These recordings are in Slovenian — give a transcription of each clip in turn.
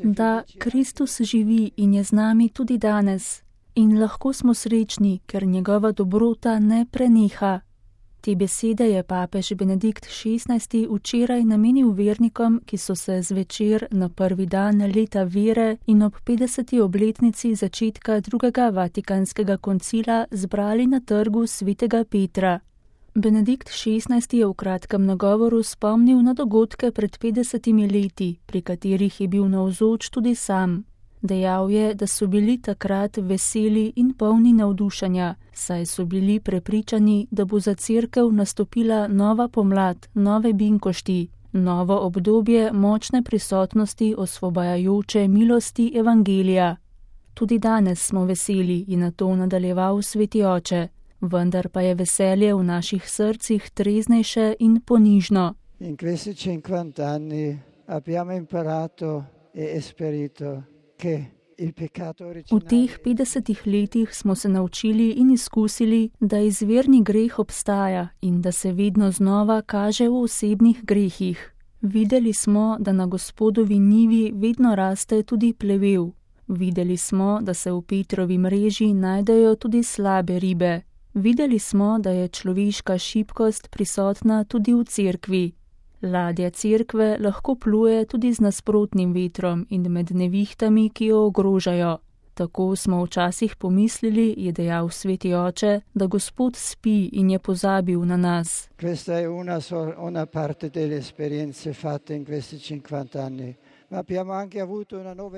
Da Kristus živi in je z nami tudi danes. In lahko smo srečni, ker njegova dobrota ne preneha. Te besede je papež Benedikt XVI včeraj namenil vernikom, ki so se zvečer na prvi dan leta vere in ob 50. obletnici začetka drugega Vatikanskega koncila zbrali na trgu svetega Petra. Benedikt XVI je v kratkem nagovoru spomnil na dogodke pred 50 leti, pri katerih je bil navzoč tudi sam. Dejal je, da so bili takrat veseli in polni navdušenja, saj so bili prepričani, da bo za Cerkev nastopila nova pomlad, nove binkošti, novo obdobje močne prisotnosti osvobajajoče milosti Evangelija. Tudi danes smo veseli, je nato nadaljeval sveti oče, vendar pa je veselje v naših srcih treznejše in ponižno. In questi 50 anni abbiamo imparato e esperito. V teh 50 letih smo se naučili in izkusili, da izvirni greh obstaja in da se vedno znova kaže v osebnih grehih. Videli smo, da na Gospodovi njivi vedno raste tudi plevel. Videli smo, da se v Petrovi mreži najdejo tudi slabe ribe. Videli smo, da je človeška šibkost prisotna tudi v Cerkvi. Ladja Cerkve lahko pluje tudi z nasprotnim vetrom in med nevihtami, ki jo ogrožajo. Tako smo včasih pomislili, je dejal sveti oče, da Gospod spi in je pozabil na nas. Questa è una parte delle esperienze fatte in questi 50 anni.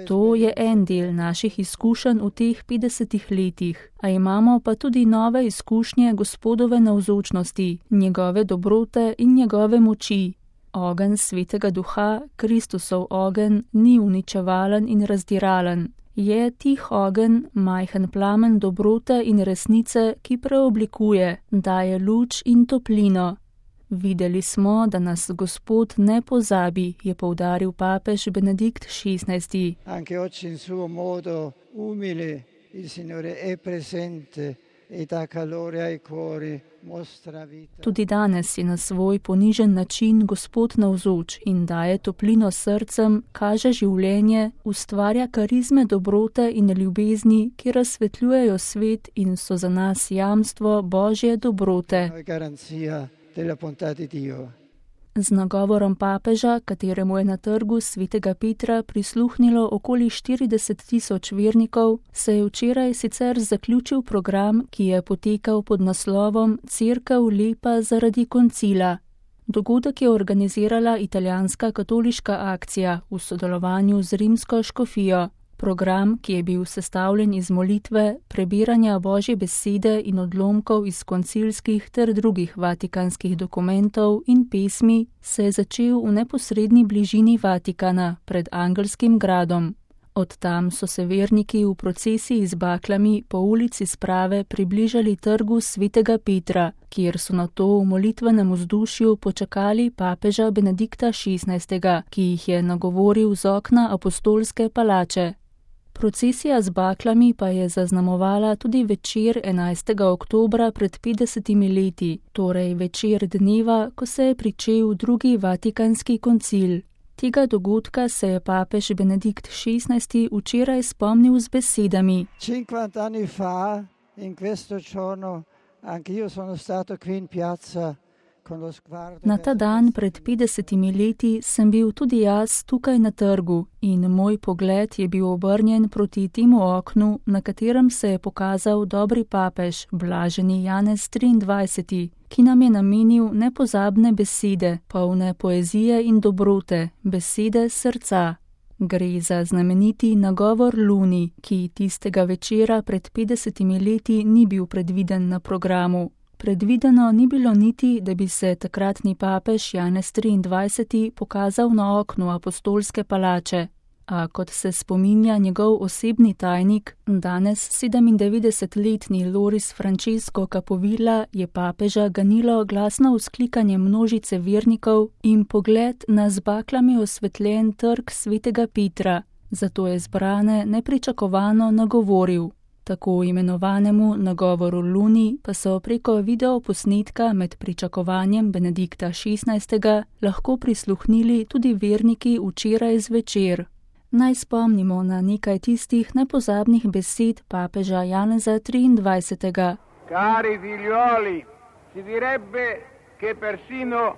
To je en del naših izkušenj v teh 50 letih, a imamo pa tudi nove izkušnje Gospodove navzočnosti, njegove dobrote in njegove moči. Ogenj svetega duha, Kristusov ogenj, ni uničevalen in razdiralen. Je tih ogenj, majhen plamen dobrote in resnice, ki preoblikuje, daje luč in toplino. Videli smo, da nas Gospod ne pozabi, je poudaril papež Benedikt XVI. Anche oggi in suo modo umile il Signore è presente e dà calore ai cuori, mostra vita. Tudi danes je na svoj ponižen način Gospod navzoč in daje toplino srcem, kaže življenje, ustvarja karizme dobrote in ljubezni, ki razsvetljujejo svet in so za nas jamstvo Božje dobrote. Z nagovorom papeža, kateremu je na trgu svetega Petra prisluhnilo okoli 40 000 vernikov, se je včeraj sicer zaključil program, ki je potekal pod naslovom Cerkev lepa zaradi koncila. Dogodek je organizirala italijanska katoliška akcija v sodelovanju z rimsko škofijo. Program, ki je bil sestavljen iz molitve, prebiranja Božje besede in odlomkov iz koncilskih ter drugih vatikanskih dokumentov in pesmi, se je začel v neposredni bližini Vatikana, pred Angelskim gradom. Od tam so se verniki v procesiji z baklami po ulici Sprave približali trgu svetega Petra, kjer so nato v molitvenem vzdušju počakali papeža Benedikta XVI, ki jih je nagovoril z okna apostolske palače. Procesija z baklami pa je zaznamovala tudi večer 11. oktobra pred 50 leti, torej večer dneva, ko se je pričel drugi Vatikanski koncil. Tega dogodka se je papež Benedikt XVI včeraj spomnil z besedami. 50 anni fa, in questo giorno, anch'io sono stato qui in piazza. Na ta dan pred 50 leti sem bil tudi jaz tukaj na trgu in moj pogled je bil obrnjen proti temu oknu, na katerem se je pokazal dobri papež, blaženi Janez 23, ki nam je namenil nepozabne besede, polne poezije in dobrote, besede srca. Gre za znameniti nagovor Luni, ki tistega večera pred 50 leti ni bil predviden na programu. Predvideno ni bilo niti, da bi se takratni papež Janez 23 pokazal na oknu apostolske palače, a kot se spominja njegov osebni tajnik, danes 97-letni Loris Francesco Capovilla, je papeža ganilo glasno vzklikanje množice vernikov in pogled na z baklami osvetljen trg svetega Petra, zato je zbrane nepričakovano nagovoril. Tako imenovanemu nagovoru Luni pa so preko videoposnetka med pričakovanjem Benedikta XVI. Lahko prisluhnili tudi verniki včeraj zvečer. Naj spomnimo na nekaj tistih nepozabnih besed papeža Janeza XXIII. Cari figlioli, si direbbe che persino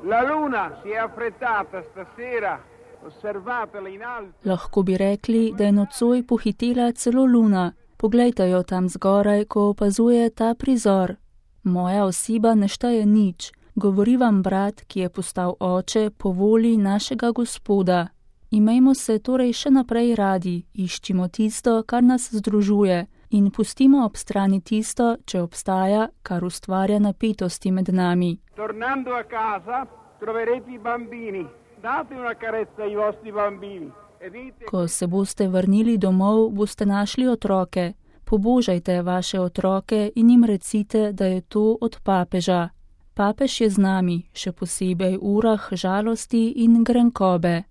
la luna si è affrettata stasera, osservatela in alto. Lahko bi rekli, da je nocoj pohitela celo luna. Poglejte jo tam zgoraj, ko opazuje ta prizor. Moja oseba ne šteje nič. Govori vam brat, ki je postal oče po volji našega Gospoda. Imejmo se torej še naprej radi, iščimo tisto, kar nas združuje, in pustimo ob strani tisto, če obstaja, kar ustvarja napetosti med nami. Tornando a casa, troverete i bambini. Date una carezza ai vostri bambini. Ko se boste vrnili domov, boste našli otroke. Pobožajte vaše otroke in jim recite, da je to od papeža. Papež je z nami, še posebej v urah žalosti in grenkobe.